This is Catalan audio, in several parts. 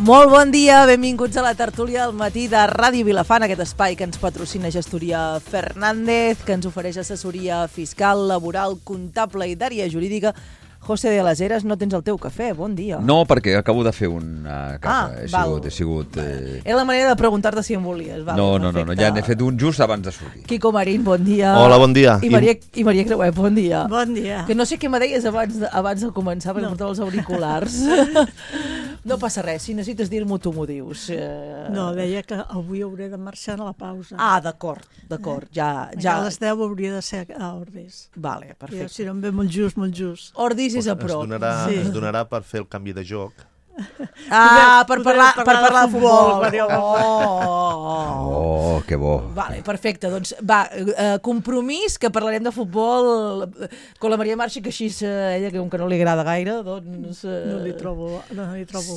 Molt bon dia, benvinguts a la tertúlia del matí de Ràdio Vilafant, aquest espai que ens patrocina Gestoria Fernández, que ens ofereix assessoria fiscal, laboral, comptable i d'àrea jurídica. José de las Heras, no tens el teu cafè, bon dia. No, perquè acabo de fer una casa. He sigut... Era la manera de preguntar-te si en volies. Val, no, ja n'he fet un just abans de sortir. Quico Marín, bon dia. Hola, bon dia. I Maria Creuet, bon dia. Bon dia. Que no sé què me deies abans de començar, perquè portava els auriculars. No passa res, si necessites dir-m'ho tu m'ho dius. No, deia que avui hauré de marxar a la pausa. Ah, d'acord. Ja. A les 10 hauria de ser a Ordis. Vale, perfecte. Si no em ve molt just. Ordis és a prop. Es donarà per fer el canvi de joc. Per parlar de futbol. Oh, que bo. Vale, perfecte, doncs va, compromís que parlarem de futbol con la Maria Marchi, que així ella que no li agrada gaire, doncs... No li trobo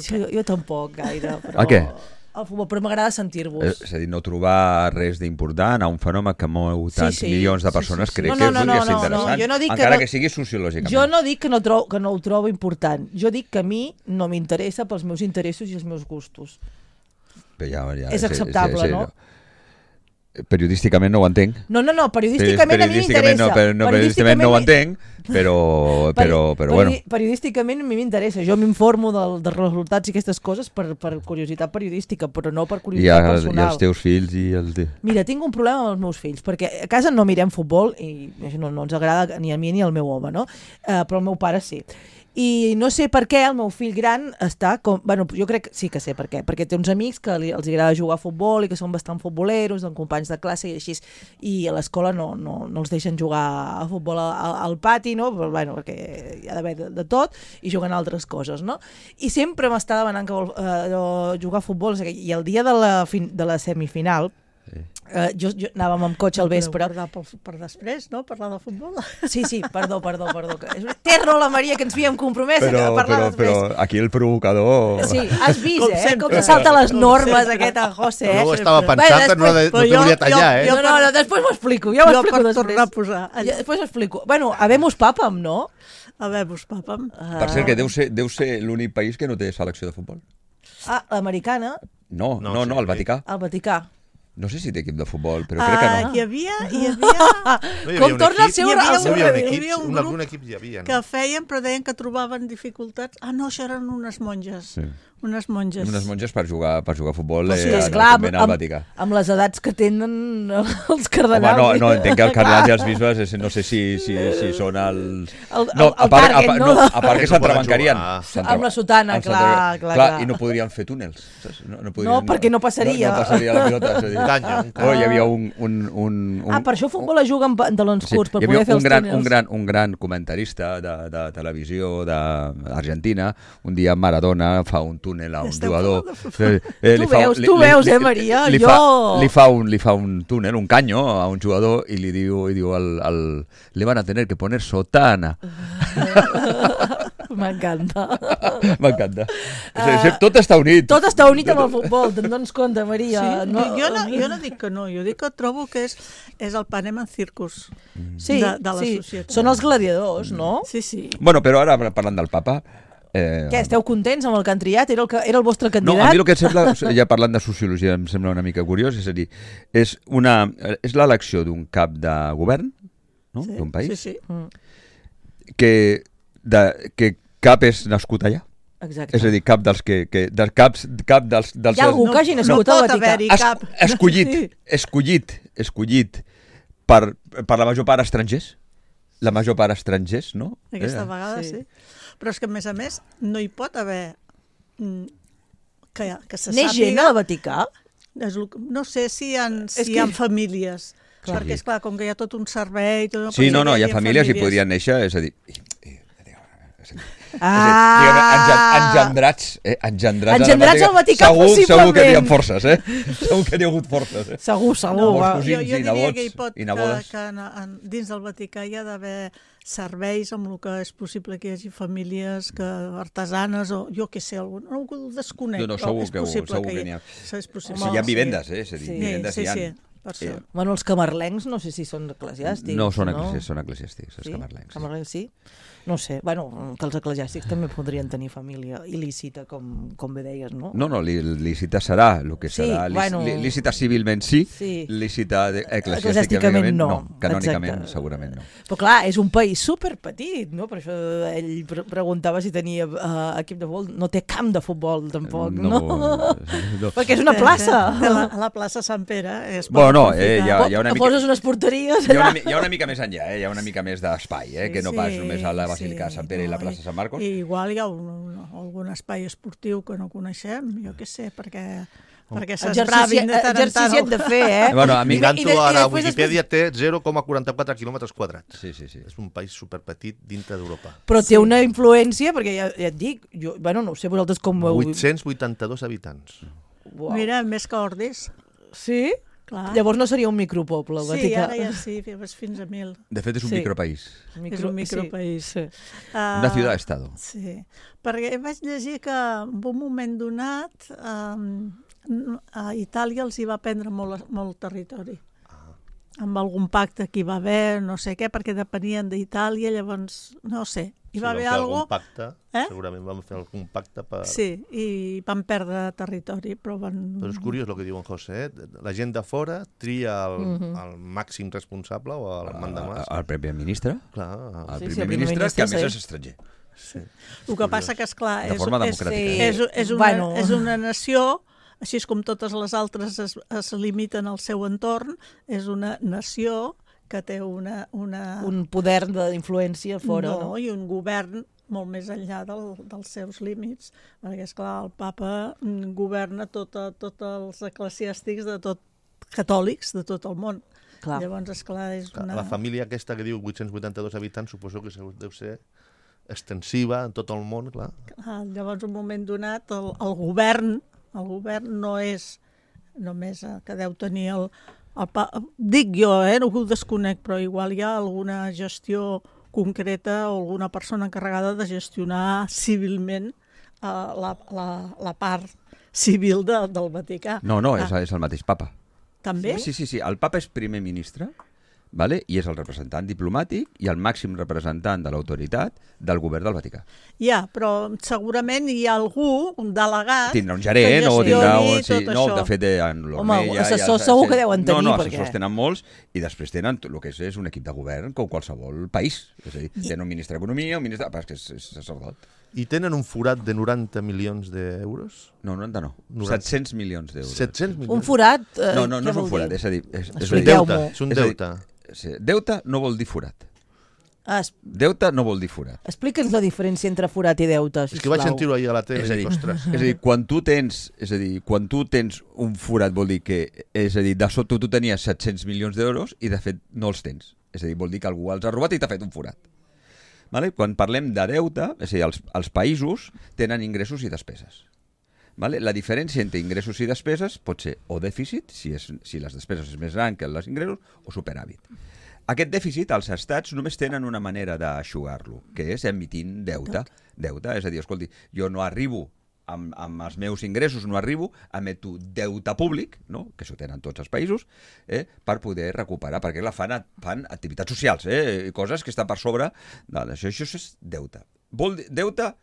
sí, jo tampoc gaire, però... A què? Al futbol, però m'agrada sentir-vos. És a dir, no trobar res d'important a un fenomen que mou tants milions de persones, crec que podria ser interessant, encara que sigui sociològicament. Jo no dic que no ho trobo important, jo dic que a mi no m'interessa pels meus interessos i els meus gustos. És acceptable, no? Periodísticament no ho entenc. No, periodísticament a mi m'interessa. Periodísticament no ho entenc, però bueno. Periodísticament a mi m'interessa. Jo m'informo dels resultats i aquestes coses per curiositat periodística, però no per curiositat personal. I els teus fills i els... Mira, tinc un problema amb els meus fills, perquè a casa no mirem futbol i no ens agrada ni a mi ni al meu home, no? Però el meu pare sí. I no sé per què el meu fill gran està com... Bueno, jo crec que sí que sé per què, perquè té uns amics que els agrada jugar a futbol i que són bastant futboleros, doncs companys de classe i així, i a l'escola no els deixen jugar a futbol al pati, no? Però, bueno, perquè hi ha d'haver de tot, i juguen altres coses, no? I sempre m'està demanant que vol jugar a futbol, i el dia de la semifinal, jo anàvem amb cotxe al vespre. Per després, no? Parlar de futbol. Sí, perdó. Té raó la Maria, que ens havíem compromès a parlar després. Però aquí el provocador... Sí, has vist, com se salta les normes aquest en José. No ho estava pensant, no t'ho volia tallar, No, després m'ho explico. Jo per tornar a posar. Després m'ho explico. Bueno, habemus papam, no? Habemus papam. Per cert, que deu ser l'únic país que no té selecció de futbol. Ah, l'americana? No, el Vaticà. El Vaticà. No sé si té equip de futbol, però crec que no. Hi havia... Com torna a ser un equip hi havia, no? Que feien, però deien que trobaven dificultats. Ah, no, això eren unes monges. Sí. Unes monges per jugar a futbol al Vaticà. Amb les edats que tenen els cardenals. Home, no, entenc que els cardenals i els bisbes no sé si són els... A part que s'entrebancarien. Amb la sotana, clar. I no podrien fer túnels. No, perquè no passaria. No passaria la pilota. Hi havia un... per això futbol es juga amb pantalons curts, per poder fer els túnels. Un gran comentarista de televisió d'Argentina, un dia Maradona fa un túnel a un jugador. Tu veus, Maria? Li fa un túnel, un caño a un jugador i li diu le van a tener que poner sotana. M'encanta. Tot està unit. Tot està unit amb el futbol, te'n dones compte, Maria. Jo no dic que no, jo dic que trobo que és el panem en circus de la societat. Són els gladiadors, no? Sí. Bueno, però ara parlant del papa... Què, esteu contents amb el que han triat? Era el vostre candidat? No, a mi el que em sembla, ja parlant de sociologia, em sembla una mica curiós, és a dir, és l'elecció d'un cap de govern, no? D'un país, sí. que cap és nascut allà. Exacte. És a dir, cap dels cap dels... Hi ha algú que hagi nascut al Vaticà. Escollit per la major part estrangers. La major part estrangers, no? Aquesta vegada sí. Però és que, a més, no hi pot haver que se sàpiga... Neix gent al Vaticà? No sé si hi ha famílies. Perquè, esclar, com que hi ha tot un servei... Sí, no, hi ha famílies i podrien néixer, és a dir... Engendrats al Vaticà, possiblement. Segur que hi ha forces, Segur que hi ha hagut forces, Segur. Jo diria que hi pot, que dins del Vaticà hi ha d'haver serveis amb el que és possible que hi hagi famílies artesanes o jo què sé, algú desconec, però és possible que hi ha. És possible. Hi ha vivendes, és a dir, vivendes hi ha. per això. Bueno, els camarlencs no sé si són eclesiàstics. No són eclesiàstics, els camarlencs. Camarlencs sí? No sé, bueno, que els eclesiàstics també podrien tenir família il·lícita, com bé deies, no? No, lícita serà el que serà. Lícita civilment sí, lícita eclesiàsticament no. Canònicament segurament no. Però clar, és un país superpetit, no? Per això ell preguntava si tenia equip de futbol. No té camp de futbol, tampoc, no? Perquè és una plaça. La plaça Sant Pere. Hi ha una mica... Poses unes porteries allà. Hi ha una mica més enllà, hi ha una mica més d'espai, que no pas només a la Basílica de Sant Pere i la plaça Sant Marcos. I igual hi ha algun espai esportiu que no coneixem, jo què sé, perquè s'esbravin de tant en tant. Exercici hem de fer, Mirant-ho ara, Wikipedia té 0,44 quilòmetres quadrats. Sí. És un país superpetit dintre d'Europa. Però té una influència, perquè ja et dic, no sé vosaltres com... 882 habitants. Mira, més que Ordis. Sí? Clar. Llavors no seria un micropoble, el Vaticà. Sí, ara ja sí, fins a 1.000. De fet, és un micropaís. És un micropaís. Sí. Una ciutat-estado. Sí, perquè vaig llegir que en un moment donat a Itàlia els hi va prendre molt territori. Amb algun pacte que hi va haver, no sé què, perquè depenien d'Itàlia, llavors, no sé. Hi va haver algun pacte, segurament vam fer algun pacte per... Sí, i van perdre territori, però van... Però és curiós el que diu en José, la gent de fora tria el màxim responsable o el mandamàs. El primer ministre? Clar. El primer ministre, que a més és estranger. Sí. El que passa que, esclar, de forma democràtica. És una nació... Així com totes les altres es limiten al seu entorn, és una nació que té un poder d'influència fora. No, i un govern molt més enllà dels seus límits, perquè, esclar, el papa governa tots els eclesiàstics catòlics de tot el món. Clar. Llavors, esclar, és una... La família aquesta que diu 882 habitants, suposo que deu ser extensiva en tot el món, clar. Llavors, en un moment donat, el govern no és només que deu tenir dic jo, no ho desconec, però igual hi ha alguna gestió concreta o alguna persona encarregada de gestionar civilment la part civil del Vaticà. No, és el mateix papa. També? Sí, el papa és primer ministre, vale? I és el representant diplomàtic i el màxim representant de l'autoritat del govern del Vaticà. Ja, però segurament hi ha algú, un delegat... Tindrà un gerent o tindrà un... Sí, no, de fet, en l'Ormella... Home, assessors segur que deuen tenir, No, assessors tenen molts i després tenen el que és un equip de govern com qualsevol país. És a dir, tenen un ministre d'Economia, un ministre... Perquè és sacerdot. I tenen un forat de 90 milions d'euros? No, 90 no. 700 milions d'euros. 700 milions? Un forat? No és un forat, és a dir... És un deute. Deute no vol dir forat. Deute no vol dir forat. Explica'ns la diferència entre forat i deute, sisplau. És que vaig sentir-ho ahir a la tele. És a dir, quan tu tens un forat vol dir que, és a dir, de sota tu tenies 700 milions d'euros i de fet no els tens. És a dir, vol dir que algú els ha robat i t'ha fet un forat. Vale? Quan parlem de deute, és a dir, els països tenen ingressos i despeses. Vale? La diferència entre ingressos i despeses pot ser o dèficit, si les despeses és més gran que els ingressos, o superàvit. Aquest dèficit, els estats només tenen una manera d'aixugar-lo, que és emitint deute. És a dir, escolti, jo no arribo amb els meus ingressos, emeto deute públic, no? Que això tenen tots els països, per poder recuperar, perquè fan activitats socials, coses que estan per sobre d'això. Això és deute. Deute,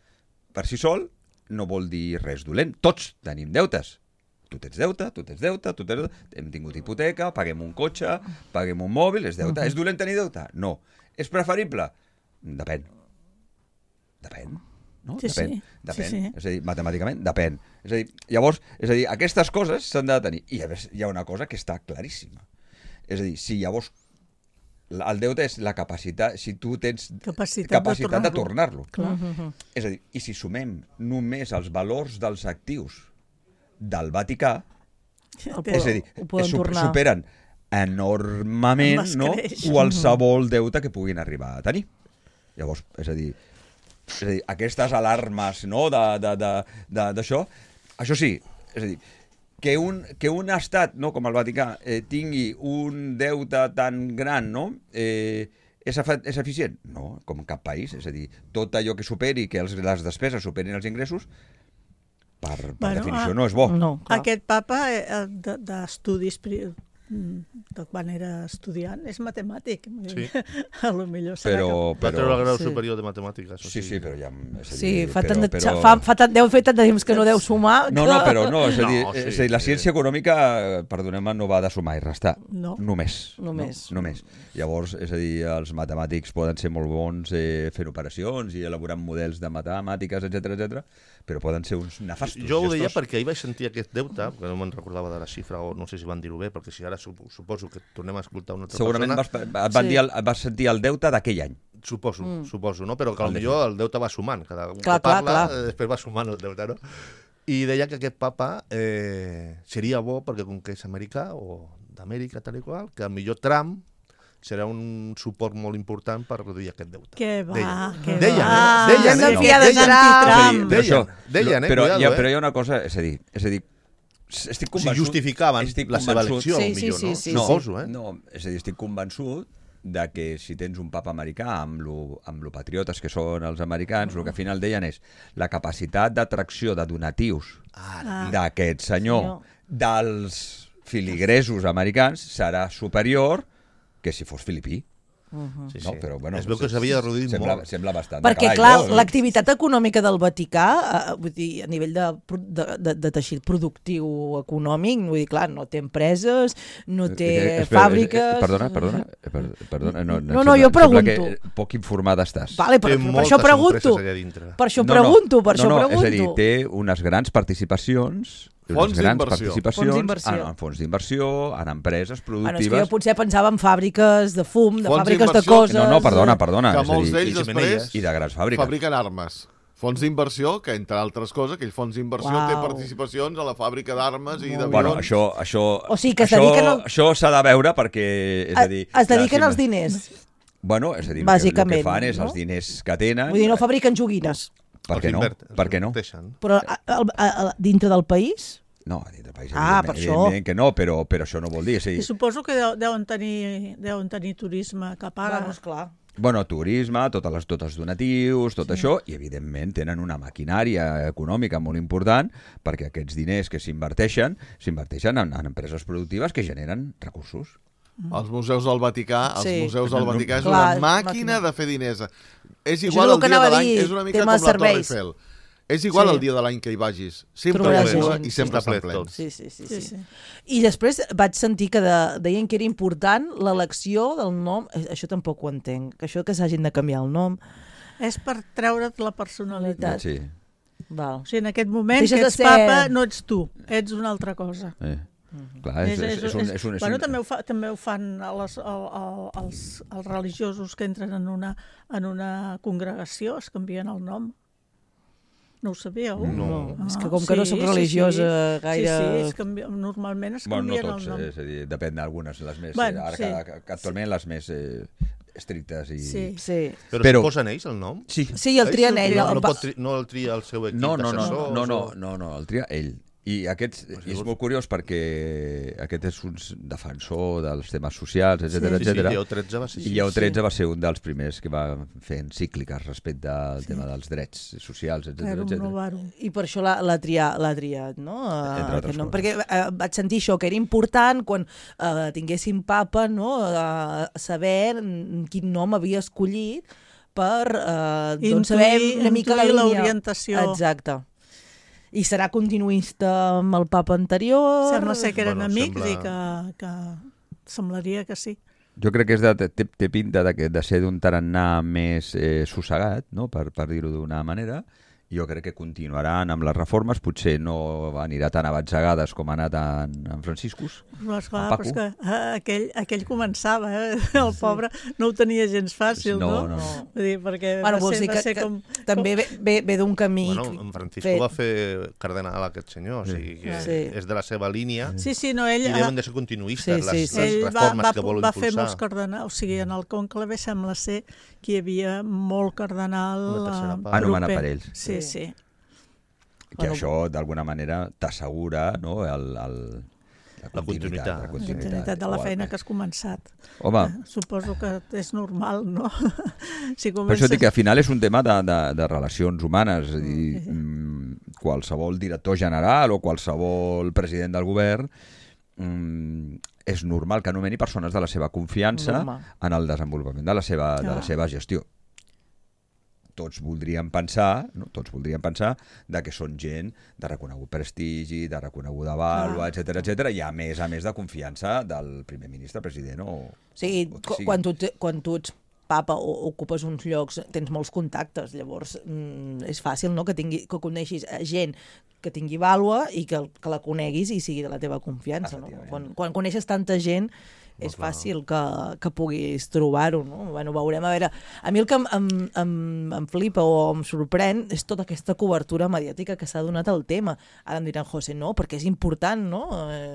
per si sol, no vol dir res dolent. Tots tenim deutes. Tu tens deute, hem tingut hipoteca, paguem un cotxe, paguem un mòbil, és deute. És dolent tenir deute? No. És preferible? Depèn. No? Sí. Depèn. És a dir, matemàticament, depèn. Llavors, aquestes coses s'han de tenir. I hi ha una cosa que està claríssima. És a dir, si llavors el deute és la capacitat, si tu tens capacitat de tornar-lo. És a dir, i si sumem només els valors dels actius del Vaticà, és a dir, superen enormement qualsevol deute que puguin arribar a tenir. Llavors, és a dir, aquestes alarmes d'això, això sí, és a dir, que un estat, no, com el Vaticà, tingui un deute tan gran, no, és eficient? No, com cap país. És a dir, tot allò que superi, que les despeses superin els ingressos, per definició no és bo. Aquest papa d'estudis quan era estudiant, és matemàtic. Sí. A lo millor serà Va treure el grau Sí. superior de matemàtiques. Sí, sí, però ja... És a dir, Sí, però... deu fer tant de temps que no deu sumar. No, però no, és a dir, No, sí, és a dir la ciència econòmica, perdoneu-me, no va de sumar i restar. No. Només. Només. No? Només. Llavors, és a dir, els matemàtics poden ser molt bons fent operacions i elaborant models de matemàtiques, etc, però poden ser uns nefastos Jo ho deia gestors. perquè ahir vaig sentir aquest deute, que no me'n recordava de la xifra, o no sé si van dir-ho bé, perquè si ara suposo que tornem a escoltar una altra Segurament persona... vas sentir el deute d'aquell any. Suposo, no? Però que potser el deute va sumant. Cada un Clar, que parla, clar. després va sumant el deute, no? I deia que aquest papa seria bo, perquè com que és americà, o d'Amèrica, tal i qual, que millor Trump serà un suport molt important per reduir aquest deute. Què va, què Deien, va. deien, Hem de no, fiar de deien. Trump. Deien, però, cuidado, però hi ha una cosa, és a dir, estic Si convençut... justificaven estic la seva convençut- elecció, Sí, millor, no? sí, Suposo, No, és a dir, estic convençut de que si tens un papa americà amb lo patriotes que són els americans, el que al final deien és la capacitat d'atracció de donatius d'aquest senyor dels filigresos americans serà superior que si fos filipí. Sí, No, però, bueno, es veu que s'havia reduït molt. Sembla bastant. Perquè, clar, l'activitat econòmica del Vaticà, vull dir, a nivell de teixit productiu econòmic, vull dir, clar, no té empreses, no té fàbriques... Perdona. No, jo pregunto. Que poc informada estàs. Vale, Té per moltes això pregunto. empreses allà dintre. Per això pregunto. És a dir, té unes grans participacions... Fons unes grans d'inversió. participacions Fons d'inversió. en fons d'inversió, en empreses Bueno, és que productives... jo potser pensava en fàbriques de fum, de Fons fàbriques de d'inversió. coses... No, perdona. Que és a molts dir, d'ells i després xemeneies. i de grans fàbriques. fabriquen armes. Fons d'inversió, que entre altres coses, aquell fons d'inversió Uau. té participacions a la fàbrica d'armes i d'avions. Bueno, això... O sigui, que es dediquen al- Això s'ha de veure perquè... És a dir, Es dediquen les als diners. Bueno, és a dir, Bàsicament, el que fan és no? els diners que tenen... Vull dir, no fabriquen joguines. Per què no? Per què no? Però dintre del país... No, a dintre del país, Per això. evidentment que no, però això no vol dir... I suposo que deuen tenir turisme que paga. Bueno, esclar. Bueno, turisme, tots els donatius, tot això, i evidentment tenen una maquinària econòmica molt important perquè aquests diners que s'inverteixen en empreses productives que generen recursos. Els museus del Vaticà, Sí. és Clar, una màquina màquina. de fer diners. És Això igual és el el que dia anava de a l'any, dir, és una mica tema com la Torre serveis. Eiffel. És igual Sí. el dia de l'any que hi vagis. Sempre Trobaràs ple gent, i sempre sí. està ple. Tot. Sí. Sí. I després vaig sentir que deien que era important l'elecció del nom. Això tampoc ho entenc, que això que s'hagin de canviar el nom. És per treure't la personalitat. Sí. Val. O sigui, en aquest moment Deixes que de ets ser- papa no ets tu, ets una altra cosa. Clar, Bueno, també ho fan els religiosos que entren en una congregació, es canvien el nom. No ho sabíeu? No. És que com que no soc religiosa gaire... Sí, normalment es Bueno, canvien no el tots, nom. és a dir, depèn d'algunes, les més... Bueno, ara sí. que actualment les més estrictes i... Sí. Sí. Però posen ells el nom? Sí. Sí, el trien ell. No el tria el seu equip No, d'assessors? el tria ell. I és molt curiós perquè aquest és un defensor dels temes socials, etc Sí, etc. Lleó XIII va ser I Lleó XIII va ser un dels primers que va fer encícliques respecte al tema dels drets socials, etc. Rerum etc. novarum. I per això l'ha triat, no? Entre altres Aquest nom. coses. Perquè vaig sentir això, que era important quan tinguéssim papa, no? Saber quin nom havia escollit per doncs saber una mica la intuir línia. l'orientació. Exacte. I serà continuista amb el papa anterior? Sembla ser que eren Bueno, amics sembla- i que semblaria que sí. Jo crec que té pinta de ser d'un tarannà més sossegat, no? per dir-ho d'una manera. Jo crec que continuaran amb les reformes, potser no anirà tan a batzegades com ha anat en Franciscus, Però, esclar, en Paco. però és que aquell començava, el pobre no ho tenia gens fàcil, no? No. Vull dir, perquè Bueno, va vols dir ser que com... també ve d'un camí... Bueno, en Francisco va fer cardenal aquest senyor, o sigui que Sí. és de la seva línia Sí, ell... i deuen de ser continuistes les Ell reformes que vol va fer molts impulsar. cardenals, o sigui, en el conclave sembla ser que hi havia molt cardenal Una tercera part. Anomenat proper. per ells. Sí, sí. Que això, d'alguna manera, t'assegura, no? La continuïtat. La continuïtat de la feina que has començat. Home, Suposo que és normal, no? Si per això dic que al final és un tema de relacions humanes. És a dir, qualsevol director general o qualsevol president del govern és normal que nomeni persones de la seva confiança en el desenvolupament de la seva gestió. Tots voldríem pensar de que són gent de reconegut prestigi, de reconeguda vàlua, etc, i a més de confiança del primer ministre, president o... Sí, quan tu ets papa o ocupes uns llocs, tens molts contactes, llavors és fàcil, no?, que coneixis gent que tingui vàlua i que la coneguis i sigui de la teva confiança, no? Quan coneixes tanta gent és fàcil que puguis trobar-ho, no? Bueno, veurem, a veure, a mi el que em flipa o em sorprèn és tota aquesta cobertura mediàtica que s'ha donat al tema. Ara em diran, José, no, perquè és important, no?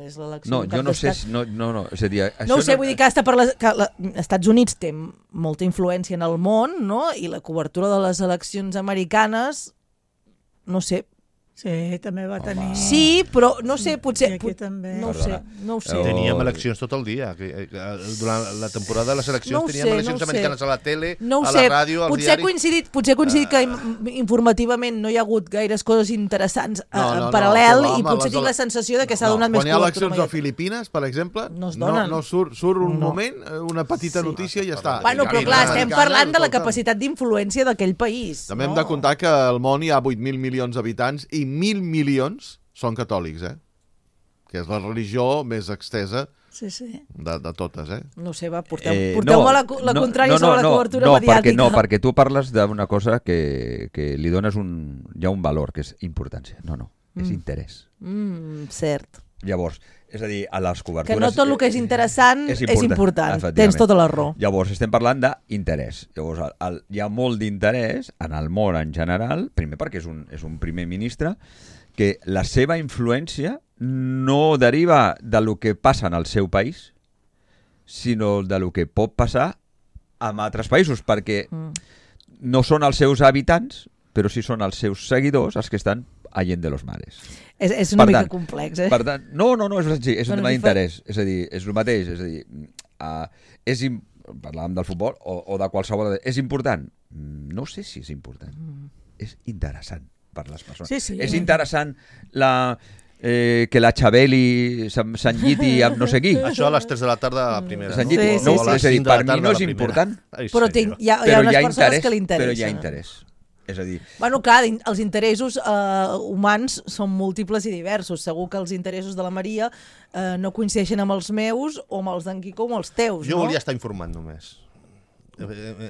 És l'elecció no, d'un cap jo no sé, d'estat. no, és a dir, no ho sé, vull dir que està per Estats Units té molta influència en el món, no? I la cobertura de les eleccions americanes, no sé. Sí, també va tenir... Sí, però no sé, potser... I aquí també. No ho sé. Teníem eleccions tot el dia. Durant la temporada de les eleccions teníem eleccions americanes a la tele, a la ràdio, als diaris... Potser coincidit que informativament no hi ha hagut gaires coses interessants en paral·lel i potser tinc la sensació de que s'ha donat més cobertura. Quan hi ha eleccions a Filipines, per exemple, no es donen. No surt un moment, una petita notícia i ja està. Bueno, però clar, estem parlant de la capacitat d'influència d'aquell país. També hem de comptar que al món hi ha 8.000 milions d'habitants i 1.000 milions són catòlics, que és la religió més extesa de totes. No sé, porteu-me la contrària sobre la cobertura mediàtica. Perquè tu parles d'una cosa que li dones hi ha un valor, que és importància. No, és interès. Cert. Llavors, és a dir, a les cobertures... Que no tot el que és interessant és important. Tens tota la raó. Llavors, estem parlant d'interès. Llavors, hi ha molt d'interès en el món en general, primer perquè és un primer ministre, que la seva influència no deriva de lo que passa en el seu país, sinó de lo que pot passar en altres països, perquè no són els seus habitants, però sí són els seus seguidors els que estan allende los mares. És una mica complex, Per tant, no, és un tema d'interès. És a dir, és el mateix. És a dir, parlàvem del futbol o de qualsevol... És important? No sé si és important. És interessant per les persones. Sí. És interessant que la Xabeli s'enlliti amb no sé qui. Això a les 3 de la tarda a la primera. Sí. No, és a dir, per mi no és important. Però hi ha unes persones que li interessen. Però hi ha interès. És a dir... Bueno, clar, els interessos humans són múltiples i diversos. Segur que els interessos de la Maria no coincideixen amb els meus o amb els d'en Quico o amb els teus, Jo volia estar informant només.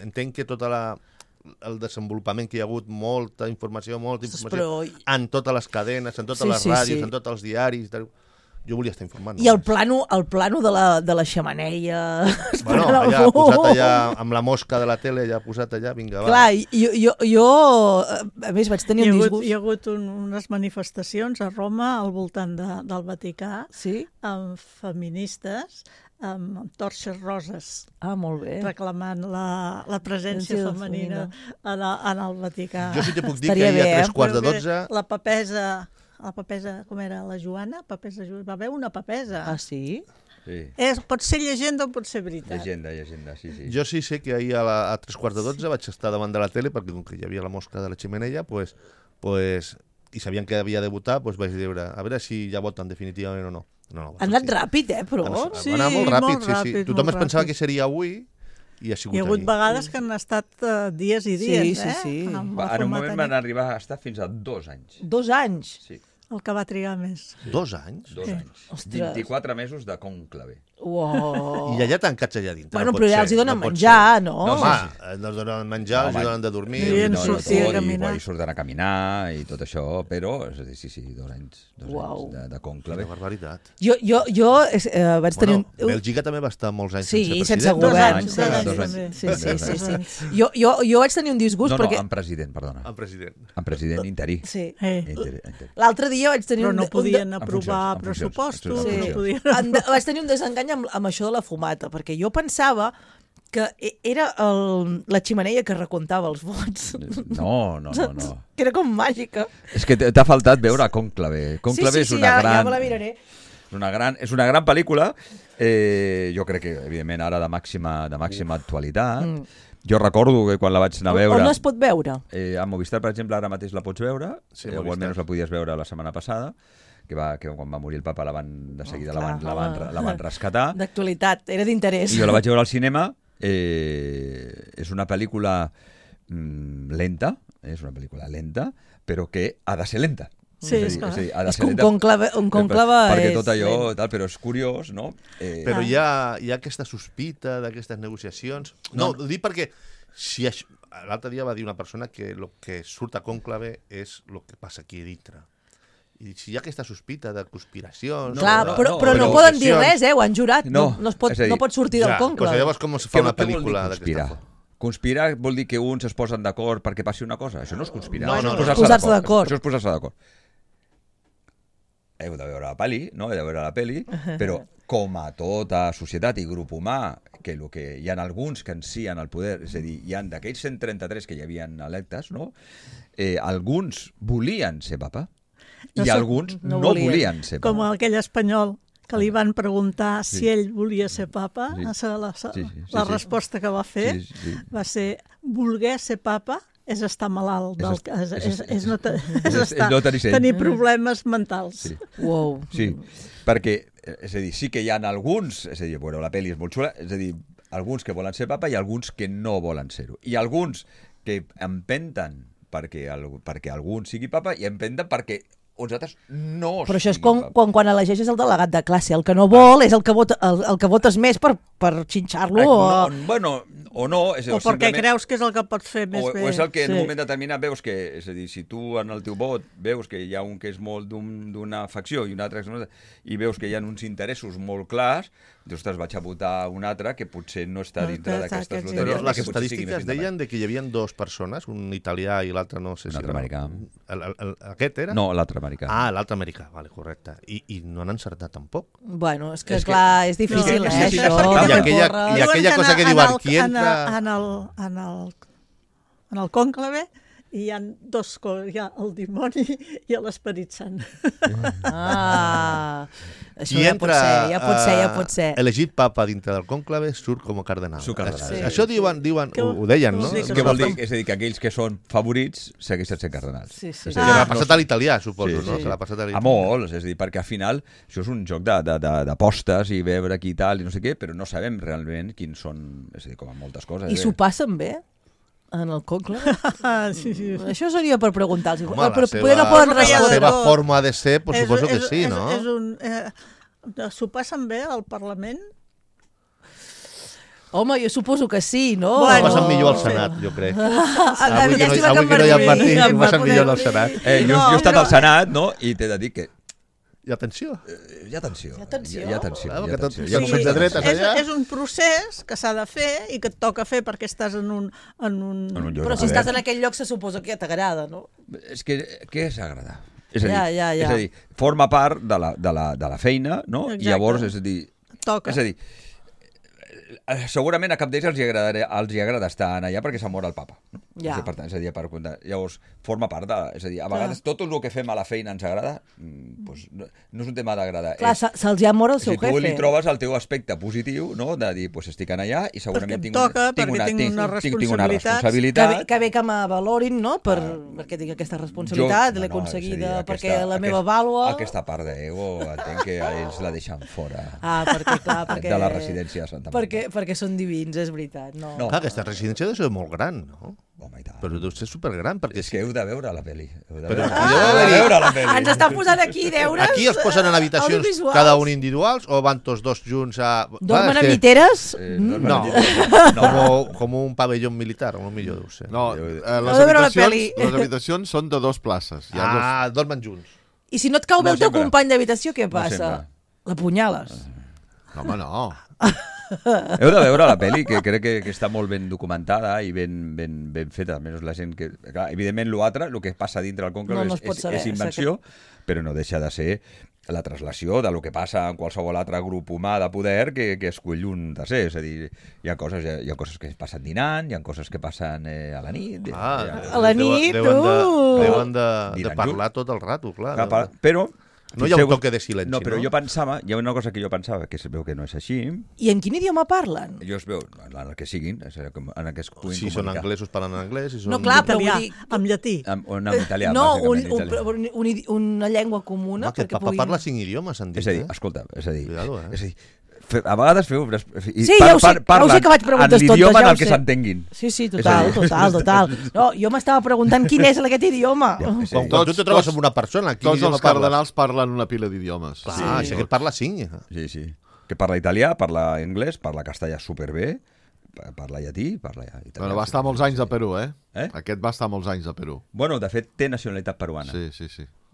Entenc que tot el desenvolupament que hi ha hagut, molta informació en totes les cadenes, en totes les ràdios, en tots els diaris... Jo volia estar informant. I el plano de la xemeneia... Bueno, allà posat allà, amb la mosca de la tele, allà posat allà, vinga, va. Clar, jo a més vaig tenir un disgust. Hi ha hagut unes manifestacions a Roma al voltant del Vaticà, amb feministes, amb torxes roses. Molt bé. Reclamant la presència femenina en el Vaticà. Jo sí te puc dir que ahir a 3:15... La papesa, com era? La Joana? Va haver una papesa. Ah, sí? Sí. Pot ser llegenda o pot ser veritat. Llegenda, sí. Jo sí sé que ahir a 3:15 vaig estar davant de la tele, perquè com que hi havia la mosca de la xemeneia, i sabien que havia de votar, vaig dir, a veure si ja voten definitivament o no. Ha anat ràpid, però... Va anar molt ràpid, sí. Tothom es pensava que seria avui, i ha sigut Hi ha hagut vegades que han estat dies i dies, Sí. En un moment van arribar a estar fins a 2 anys. 2 anys? Sí. El que va trigar més. 2 anys? 2 anys. 24 mesos de cònclave. Wow. I allà tancats allà dintre. Bueno, però ja els hi donen menjar, no? No, home, no els donen menjar, els hi donen de dormir. I sortir a caminar. I surten a caminar i tot això, però, sí, 2 anys. 2 anys de cònclave. Quina barbaritat. Jo vaig tenir... Bèlgica també va estar molts anys sense govern. 2 anys. Sí. Jo vaig tenir un disgust perquè... No, en president, perdona. En president interí. Sí. L'altre dia vaig tenir però no podien aprovar pressupostos. Vaig tenir un desengany amb això de la fumata, perquè jo pensava que era la xemeneia que recomptava els vots. No. Que era com màgica. És que t'ha faltat veure Cònclave. Cònclave és una gran... Ja me la miraré. És una gran pel·lícula, jo crec que, evidentment, ara de màxima actualitat. Jo recordo que quan la vaig anar a veure... On es pot veure? A Movistar, per exemple, ara mateix la pots veure, o almenys la podies veure la setmana passada, que quan va morir el papa de seguida clar, la van rescatar. D'actualitat, era d'interès. I jo la vaig veure al cinema. És una pel·lícula lenta, però que ha de ser lenta. Sí, és és a dir, ha de És ser que un lenta conclave perquè és tot allò, lent. tal, però és curiós, no? Però hi ha aquesta sospita d'aquestes negociacions. No, ho dic perquè si l'altre dia va dir una persona que el que surt a conclave és el que passa aquí dintre. I si hi ha aquesta sospita de conspiracions... Clar, no, però no poden dir res, ho han jurat. No es pot sortir del conclave. Llavors com es fa una Què vol dir pel·lícula conspirar? d'aquesta forma? Conspirar vol dir que uns es posen d'acord perquè passi una cosa? Això no és conspirar. No, Això és posar-se d'acord. Això és posar-se d'acord. Heu de veure la pel·li, no? Heu de veure la pel·li, però com a tota societat i grup humà, que hi ha alguns que en sí en el poder, és a dir, hi ha d'aquells 133 que hi havien electes, no? Alguns volien ser papa i alguns no volien ser papa. Com aquell espanyol que li van preguntar si ell volia ser papa, la resposta que va fer va ser voler ser papa és estar malalt, és tenir problemes mentals. Sí. Wow. Sí, perquè, és a dir, sí que hi ha alguns, és a dir, bueno, la pel·li és molt xula, és a dir, alguns que volen ser papa i alguns que no volen ser-ho. I alguns que empenten perquè algun sigui papa i empenten perquè uns altres no Però això és siguin papa. quan elegeixes el delegat de classe. El que no vol és el que votes més per xinxar-lo. Bueno, o no. És, O perquè creus que és el que pot fer més bé. O és el que en un moment determinat veus que, és a dir, si tu en el teu vot veus que hi ha un que és molt d'una facció i un altre i veus que hi ha uns interessos molt clars, dius, ostres, vaig a votar un altre que potser no està dintre d'aquestes loteries. Però les que potser sigui més estadístiques deien de que hi havia dues persones, un italià i l'altre no sé si... Un altre americà. Aquest era? No, l'altre americà. Ah, l'altre americà, vale, correcte. I no han encertat tampoc. Bueno, és que, clar, és difícil, no, això. sí, I aquella cosa que diuen, qui entra... En el cònclave hi ha dos coses, hi ha el dimoni i l'esperit sant. Això ja pot ser. Elegit papa dintre del cònclave surt com a cardenal. Sí. Això diuen, ho deien, no? Què vol dir? És a dir, que aquells que són favorits segueixen sent cardenals. Sí. Que l'ha passat a l'italià, suposo, no? Que l'ha passat a l'italià. A molts, és a dir, perquè al final això és un joc d'apostes i veure qui tal i no sé què, però no sabem realment quins són, és a dir, com a moltes coses. I s'ho passen bé? En el conclave? Sí. Això seria per preguntar-los. Home, poder no poden la respondre. seva forma de ser, pues, suposo que sí, no? S'ho passen bé al Parlament? Home, jo suposo que sí, no? Ho passen millor al Senat, jo crec. Avui que no hi ha Martí, ho passen millor al Senat. Jo he estat al Senat, no? I t'he de dir que Hi ha tensió. hi ha tensió. De dretes allà. És un procés que s'ha de fer i que et toca fer perquè estàs en un lloc Però si estàs en aquell lloc se suposa que t'agrada, no? És que què és agradar? És a dir, Ja. és a dir, forma part de la feina, no? Exacte. I llavors, és a dir... Toca. És a dir, segurament a cap d'ells els hi agrada estar allà perquè s'ha mort el papa. No? Ja. Per tant, és a dir, llavors forma part de... És a dir, a vegades tot el que fem a la feina ens agrada, doncs no és un tema d'agradar. Clar, se'ls ha mort el seu jefe. Si tu li trobes el teu aspecte positiu, no? De dir, doncs estic allà i segurament tinc una responsabilitat. Que bé que m'avalorin, no? Perquè tinc aquesta responsabilitat, l'he aconseguida perquè la meva vàlua... Aquesta part d'ego entenc que ells la deixen fora. Perquè de la residència de Santa Marta. Perquè són divins, és veritat. No. Clar, aquesta residència deu ser molt gran, no? Home, i tant. Però deu ser supergran, perquè... És que heu de veure la pel·li. Ens estan posant aquí deures. Aquí els posen en habitacions cada un individuals o van tots dos junts a... Dormen a miteres? No, com un pavelló militar, o millor deu ser. No, les habitacions són de 2 places. Dormen junts. I si no et cau bé el teu company d'habitació, què passa? L'apunyales? No, home, no. Heu de veure la pel·li, que crec que està molt ben documentada i ben feta. Almenys la gent que... Clar, evidentment, el que passa dintre del conclave és invenció, però no deixa de ser la traslació del que passa en qualsevol altre grup humà de poder que escull un tercer. És a dir, hi ha coses que passen dinant, hi ha coses que passen a la nit. A la nit, Deuen de parlar tot el rato, clar. Però No hi ha un toque de silenci, no? Però jo pensava, hi ha una cosa que jo pensava, que es veu que no és així. I en quin idioma parlen? Jo es veu, en el que siguin, en el que es puguin Si són comunicar. anglesos parlen en anglès, si són... No, clar, però Italià, vull dir... amb llatí. O en italià, No, bàsicament, italià. una llengua comuna. No, aquest perquè papa puguin... parla 5 idiomes, han dit, És a dir, escolta, és a dir, Cuidado, és a dir, a vegades feu... Sí, ja ho sé que vaig preguntes en tontes, l'idioma ja en ho el que sé. s'entenguin. Sí, És a dir- total. No, jo m'estava preguntant quin és aquest idioma. Sí. Quan tu te trobes amb una persona, quin Tots idioma els parles? cardenals parlen una pila d'idiomes. Clar, si aquest parla 5. Sí, sí. Que parla italià, parla anglès, parla castellà superbé, parla llatí, parla italià. Bueno, va estar molts anys a Perú, eh? Eh? Aquest va estar molts anys a Perú. Bueno, de fet, té nacionalitat peruana. Sí.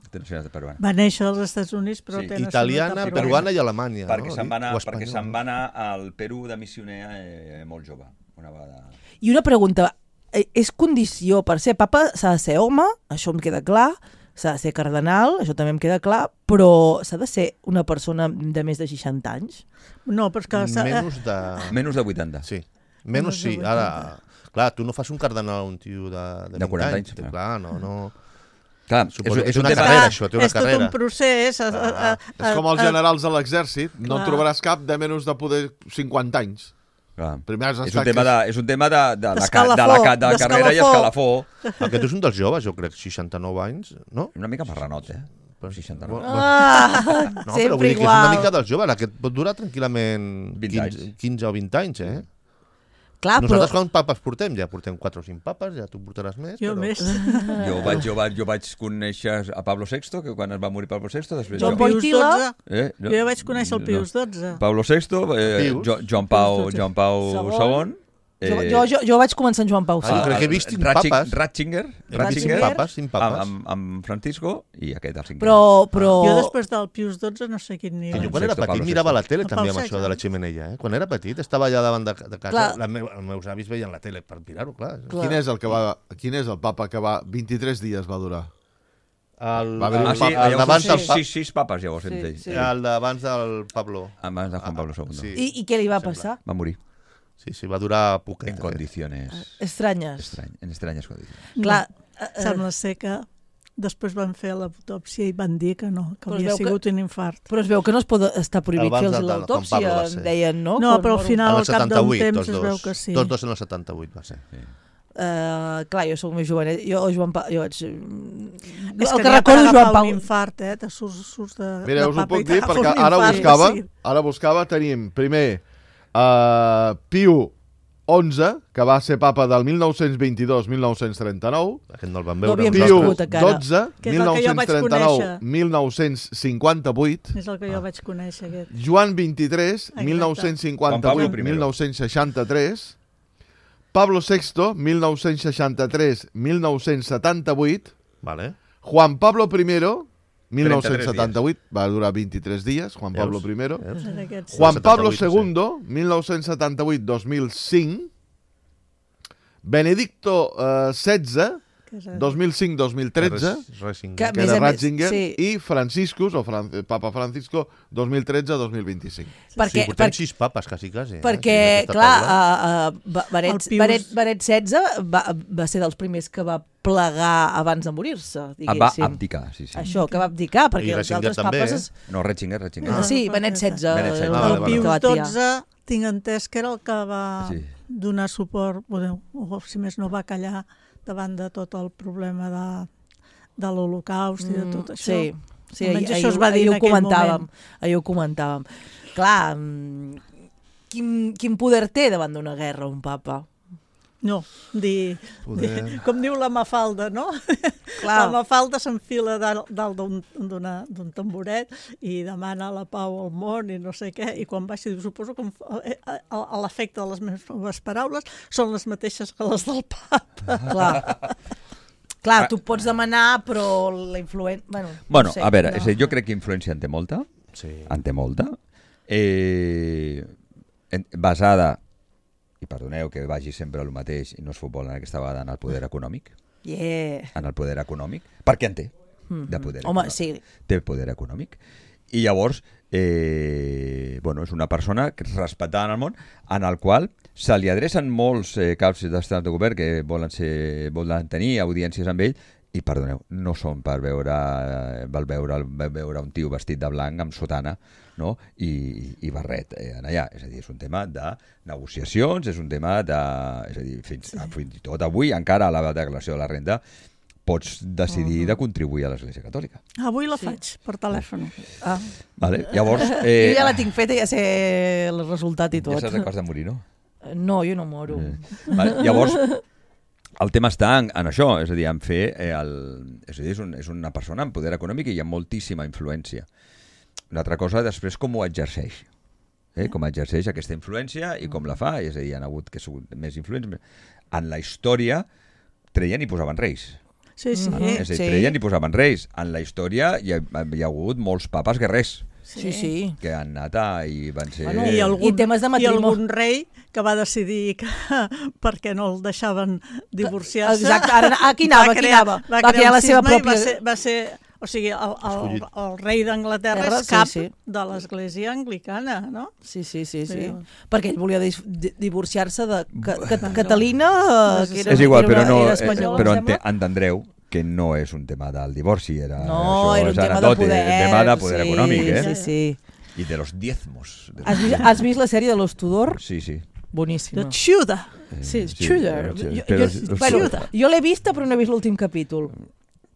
Té nacionalitat peruana. Va néixer als Estats Units, però Sí. té Italiana, nacionalitat peruana i alemanya. Perquè no? se'n va anar, O perquè espanyol, se'n no? va anar al Perú de missioner molt jove. Una vegada... I una pregunta, és condició per ser papa, s'ha de ser home, això em queda clar, s'ha de ser cardenal, això també em queda clar, però s'ha de ser una persona de més de 60 anys? No, però és que... Menys de 80. Sí. Menys sí. de 80. Ara, clar, tu no fas un cardenal a un tio de 40 20 anys, clar. Clar, no. Clar, Suposo que és un una tema... carrera, això, té una és tot carrera. un procés. És com els generals de l'exèrcit, no en Clar. trobaràs cap de menys de poder 50 anys. Clar. Primer has És d'estar... un tema de la D'escalafó, carrera i escalafó. Aquest és un dels joves, jo crec, 69 anys, no? Una mica marranot, eh? 69. Ah, No, però sempre vull dir que és igual. una mica dels joves, aquest pot durar tranquil·lament 20 anys. 15 o 20 anys, eh? Clar, però... Nosaltres quants papes portem? Ja portem 4 o 5 papes, ja tu portaràs més. Jo però... més. Jo vaig conèixer a Pablo VI, que quan es va morir Pablo VI, després Joan jo... Pau- Pius Wojtyla. XII. Jo ja vaig conèixer el Pius XII. Pablo VI, Pius. Joan Pau Segon. II... Jo vaig començar amb Joan Pau Ah, jo crec que he vist 5 papes. Ratzinger, He vist 5 papes, 5 papes. amb Francisco i aquest, el 5. Però... Jo després del Pius XII no sé quin Que nivell. jo quan era Sexto, petit Pablo mirava VI. la tele El també Pau amb VI. això de la xemeneia, eh? Quan era petit estava allà davant de casa, Clar. els meus avis veien la tele per mirar-ho, clar. Quin és el papa que va... 23 dies va durar? El, Va haver un Ah, sí, el d'abans del sis papes llavors hem dit. sí. el d'abans del Pablo. Abans de Juan Pablo II. Sí. I què li va passar? Va morir Sí, va durar poquet. en condiciones Estranyes. en extrañas condiciones. Clar, Sembla ser que després van fer l'autòpsia i van dir que no, que Però es havia veu que- sigut un infart. però es veu que no es pot estar prohibit Abans fer-los de Juan l'autòpsia, Pablo va ser. deien, no? No, Com- però al final, En al el cap d'un 78, temps, tots es dos. veu que sí. Tots dos en el 78 va ser. Clar, jo sóc més jovenet. Jo, Joan Pau... Jo vaig... És el que que n'hi ha per recordo agafar Joan Pau... un infart, te surts de... Mira, de us ho papa i puc dir t'agafa perquè un infart, sí. ara buscava, tenim primer Piu XI, que va ser papa del 1922-1939, Aquest no el vam No veure. havíem Piu nascut encara. XII, Que és el que jo vaig 1939-1958, És el que jo vaig conèixer, aquest. Joan XXIII, Juan Pablo I. 1958-1963, Pablo VI, 1963-1978, Vale. Juan Pablo I, 1978, 33 va durar 23 dies, Juan Pablo I. Veus? En aquests. Juan Pablo 78, II, 1978-2005, Benedicto XVI, Que és el- 2005-2013, Racing. Que- que més era a més, Ratzinger, sí. i Franciscus, Papa Francisco, 2013-2025. Perquè, Sí, portem 6 papes, quasi. perquè en aquesta clar, taula. Benet El Pius- XVI va ser dels primers que va plegar abans de morir-se, Va diguéssim. abdicar, sí. Això, que va abdicar, perquè I els Ratzinger altres també, papes... No, Ratzinger. Sí, Benet XVI. Benet XVI. el Vale, El vale. que va Pius triar. XII tinc entès que era el que va Sí. donar suport, o si més no va callar davant de tot el problema de l'Holocaust i de tot això. Sí, sí, Almenys això es va dir en aquell moment. Ahir ho comentàvem. Clar, quin poder té davant d'una guerra un papa? No, com diu la Mafalda, no? Clar. La Mafalda s'enfila dalt d'un tamboret i demana la pau al món i no sé què, i quan baixi diu, suposo que a l'efecte de les meves paraules són les mateixes que les del papa. Clar, tu pots demanar, però la influència... Bueno, Bueno, no sé, a veure, no. és a dir, jo crec que influència en té molta. Sí. En té molta. Basada, i perdoneu que vagi sempre el mateix i no és futbol en aquesta vegada, en el poder econòmic. Yeah. En el poder econòmic. Perquè en té, de poder Home, econòmic. sí. Té poder econòmic. I llavors, bueno, és una persona respectada en el món, en el qual se li adrecen molts caps d'estat de govern que volen tenir audiències amb ell, i perdoneu, no són per veure un tio vestit de blanc amb sotana, no? I barret allà. És a dir, és un tema de negociacions, és un tema de... És a dir, fins i tot avui, encara a la declaració de la renda, pots decidir de contribuir a l'Església Catòlica. Avui la faig per telèfon. Vale. Llavors, jo ja la tinc feta, ja sé el resultat i tot. ja saps que has de morir, no? No, jo no moro. Vale. Llavors, el tema està en això, és a dir, en fer... és a dir, és una persona amb poder econòmic i hi ha moltíssima influència. Una altra cosa, després, com ho exerceix. Com exerceix aquesta influència i com la fa. És a dir, hi ha hagut que són més influents. En la història treien i posaven reis. Sí. És a dir, treien i posaven reis. En la història hi ha hagut molts papes guerrers. Sí. Que han anat i van ser... Bueno, i temes de matrimoni. I algun rei que va decidir que perquè no el deixaven divorciar-se... Exacte, ara, aquí anava. Va crear la seva pròpia... Va ser, o sigui, el rei d'Anglaterra és cap de l'Església Anglicana, no? Sí. Perquè ell volia divorciar-se de Catalina, que era espanyola. Però entendreu que no és un tema del divorci, era un tema de poder. Un tema de poder econòmic, Sí. I de los diezmos. Has vist la sèrie de Los Tudor? Sí. Boníssima. The Tudor. Sí, Tudor. Jo l'he vista, però no he vist l'últim capítol.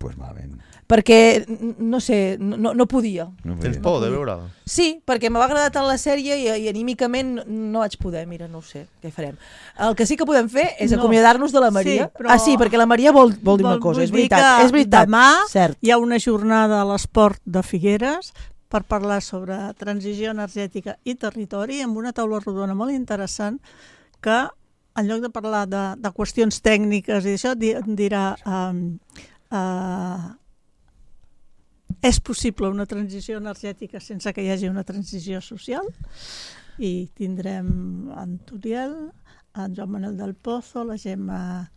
Pues malament. Perquè, no sé, no podia. Tens por de veure-la? Sí, perquè m'ha agradat tant la sèrie i anímicament no vaig poder. Mira, no ho sé, què farem. El que sí que podem fer és acomiadar-nos de la Maria. Sí, perquè la Maria vol dir una cosa, és veritat. Demà hi ha una jornada a l'Esport de Figueres per parlar sobre transició energètica i territori amb una taula rodona molt interessant que, en lloc de parlar de qüestions tècniques i això, dirà... és possible una transició energètica sense que hi hagi una transició social, i tindrem en Turiel, en Joan Manuel del Pozo, la Gemma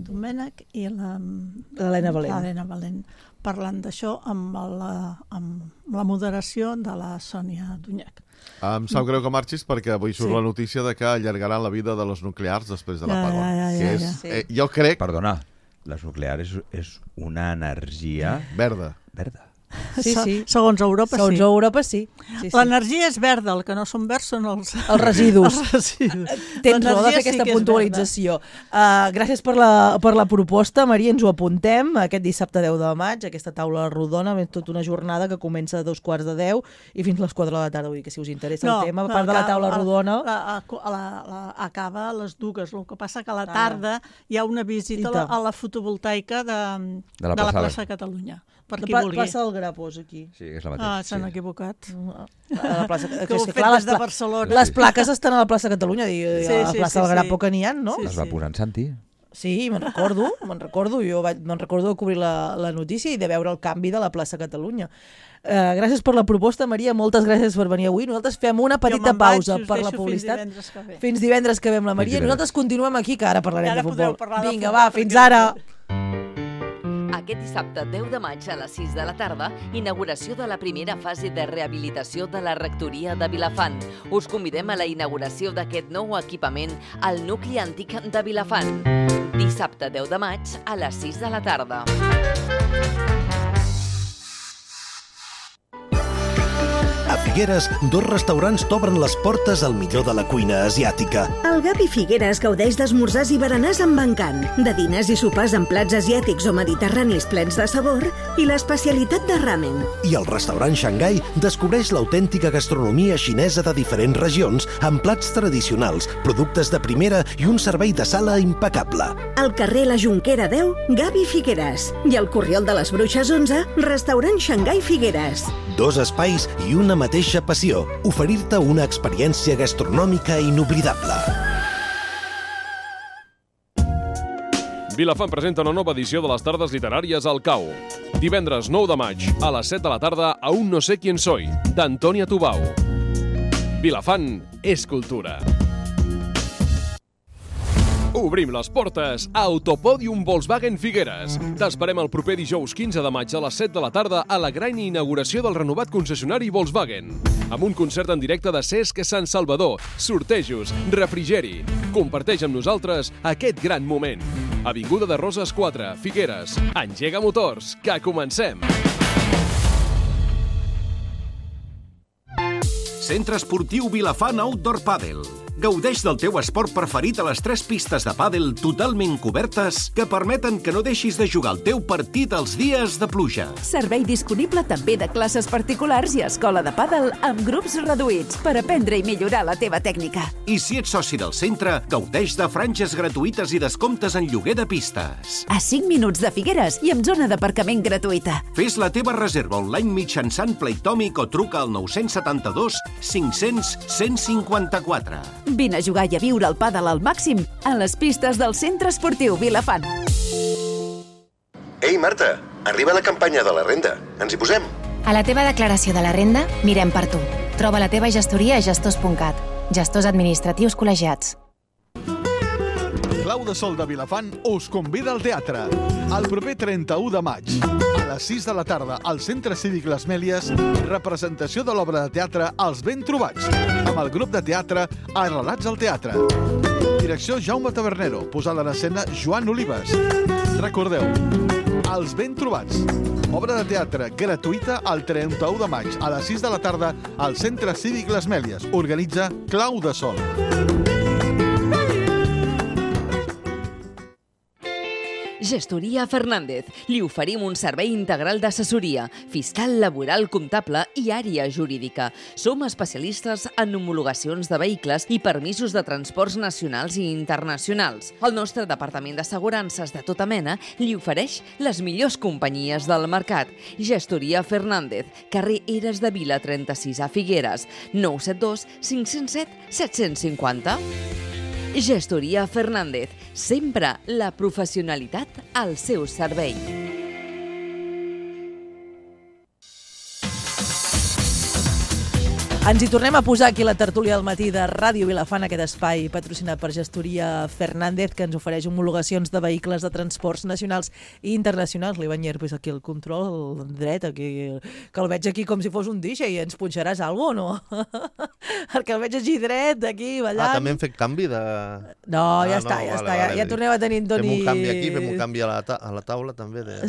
Domènech i l'Helena Valent parlant d'això amb la moderació de la Sònia Dunyac. Em sap greu que marxis perquè avui surt la notícia de que allargaran la vida de los nuclears després de l'apagón. Jo crec... Perdona, les nuclears és una energia... verda. Sí. Segons Europa, Segons Europa, sí. L'energia és verda, el que no són verds són els residus. Tens raó de fer aquesta puntualització. Gràcies per la proposta, Maria, ens ho apuntem. Aquest dissabte 10 de maig, aquesta taula rodona, tota una jornada que comença a 2:45 i fins a les 4 de la tarda. Vull dir que si us interessa el tema, a part de la taula rodona... Acaba a les 2. El que passa que a la tarda hi ha una visita a la fotovoltaica de la plaça Catalunya. Per qui vulgui. Plaça del Grapós, aquí. Sí, és la mateixa. S'han equivocat. A la plaça... Que ho fet des de Barcelona. Les plaques estan a la plaça Catalunya, a la plaça del Grapo que n'hi ha, no? Les va posar en Santi. Sí, me'n recordo. Jo me'n recordo de cobrir la notícia i de veure el canvi de la plaça Catalunya. Gràcies per la proposta, Maria, moltes gràcies per venir avui. Nosaltres fem una petita pausa per la publicitat. Fins divendres que ve amb la Maria. Nosaltres continuem aquí, que ara parlarem de futbol. Vinga, va, fins ara! Aquest dissabte 10 de maig a les 6 de la tarda, inauguració de la primera fase de rehabilitació de la rectoria de Vilafant. Us convidem a la inauguració d'aquest nou equipament al nucli antic de Vilafant. Dissabte 10 de maig a les 6 de la tarda. A Figueres, 2 restaurants t'obren les portes al millor de la cuina asiàtica. El Gavi Figueres gaudeix d'esmorzars i berenars amb encant, de diners i sopars amb plats asiàtics o mediterranis plens de sabor i l'especialitat de ramen. I el restaurant Xangai descobreix l'autèntica gastronomia xinesa de diferents regions amb plats tradicionals, productes de primera i un servei de sala impecable. Al carrer La Jonquera 10, Gavi Figueres. I al Corriol de les Bruixes 11, restaurant Xangai Figueres. 2 espais i una mateixa passió, oferir-te una experiència gastronòmica inoblidable. Vilafant presenta una nova edició de les tardes literàries al CAU. Divendres 9 de maig, a les 7 de la tarda, a Un no sé quién soy, d'Antònia Tubau. Vilafant és cultura. Obrim les portes a Autopòdium Volkswagen Figueres. T'esperem el proper dijous 15 de maig a les 7 de la tarda a la gran inauguració del renovat concessionari Volkswagen. Amb un concert en directe de Cesc Sant Salvador, sortejos, refrigeri. Comparteix amb nosaltres aquest gran moment. Avinguda de Roses 4, Figueres. Engega motors, que comencem! Centre Esportiu Vilafant Outdoor Padel. Gaudeix del teu esport preferit a les 3 pistes de pàdel totalment cobertes que permeten que no deixis de jugar el teu partit els dies de pluja. Servei disponible també de classes particulars i escola de pàdel amb grups reduïts per aprendre i millorar la teva tècnica. I si ets soci del centre, gaudeix de franges gratuïtes i descomptes en lloguer de pistes. A 5 minuts de Figueres i amb zona d'aparcament gratuïta. Fes la teva reserva online mitjançant Playtomic o truca al 972 500 154. Vine a jugar i a viure el pàdel al màxim a les pistes del Centre Esportiu Vilafant. Ei, Marta, arriba la campanya de la renda. Ens hi posem? A la teva declaració de la renda, mirem per tu. Troba la teva gestoria a gestors.cat. Gestors administratius col·legiats. Clau de Sol de Vilafant us convida al teatre. El proper 31 de maig, a les 6 de la tarda, al Centre Cívic Les Mèlies, representació de l'obra de teatre Els Ben Trobats, amb el grup de teatre Arrelats al Teatre. Direcció Jaume Tabernero, posada en escena Joan Olives. Recordeu, Els Ben Trobats, obra de teatre gratuïta el 31 de maig, a les 6 de la tarda, al Centre Cívic Les Mèlies. Organitza Clau de Sol. Gestoria Fernández. Li oferim un servei integral d'assessoria, fiscal, laboral, comptable i àrea jurídica. Som especialistes en homologacions de vehicles i permisos de transports nacionals i internacionals. El nostre departament d'assegurances de tota mena li ofereix les millors companyies del mercat. Gestoria Fernández, carrer Eres de Vila 36 a Figueres, 972 507 750. Gestoria Fernández, sempre la professionalitat al seu servei. Ens hi tornem a posar aquí la tertúlia del matí de Ràdio Vilafant, aquest espai patrocinat per Gestoria Fernández, que ens ofereix homologacions de vehicles de transports nacionals i internacionals. L'Ivan Llerpes aquí al control, el dret, aquí, que el veig aquí com si fos un DJ. Ens punxaràs alguna cosa, no? Perquè el veig així dret, aquí, ballant. També hem fet canvi de... No, ja està. Ja tornem a tenir en Toni... Fem un canvi aquí, fem un canvi a la taula, també, de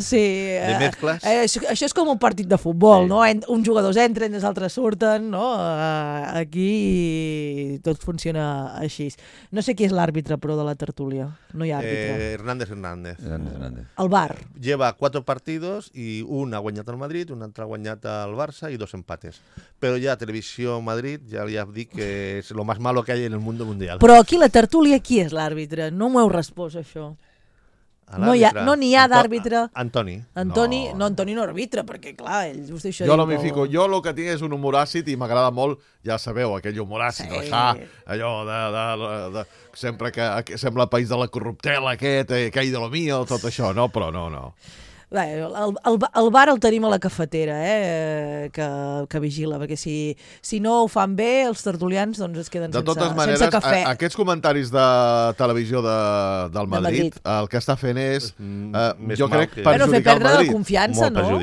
mescles. Això és com un partit de futbol, sí. No? Uns jugadors entren, els altres surten, no? Aquí tot funciona així. No sé qui és l'àrbitre, però, de la tertúlia. No hi ha àrbitre. Hernández. El VAR. Lleva 4 partidos i un ha guanyat el Madrid, un altre ha guanyat el Barça i 2 empates. Però ja Televisió Madrid ja li ha dit que és lo más malo que hay en el mundo mundial. Però aquí la tertúlia, qui és l'àrbitre? No m'ho heu respost, això. No n'hi ha d'àrbitre. Antoni no arbitra, perquè clar, ell just això... Jo no m'hi fico. Jo el que tinc és un humor àcid i m'agrada molt, ja sabeu, aquell humor àcid, sí. Allò de sempre que sembla el país de la corruptela aquest, que hi de lo mío, tot això, no? Però no. Bé, el bar el tenim a la cafetera, que vigila, perquè si no ho fan bé, els tertulians doncs es queden sense cafè. Aquests comentaris de televisió del Madrid, el que està fent és, jo crec, perjudicar el Madrid. La confiança, no?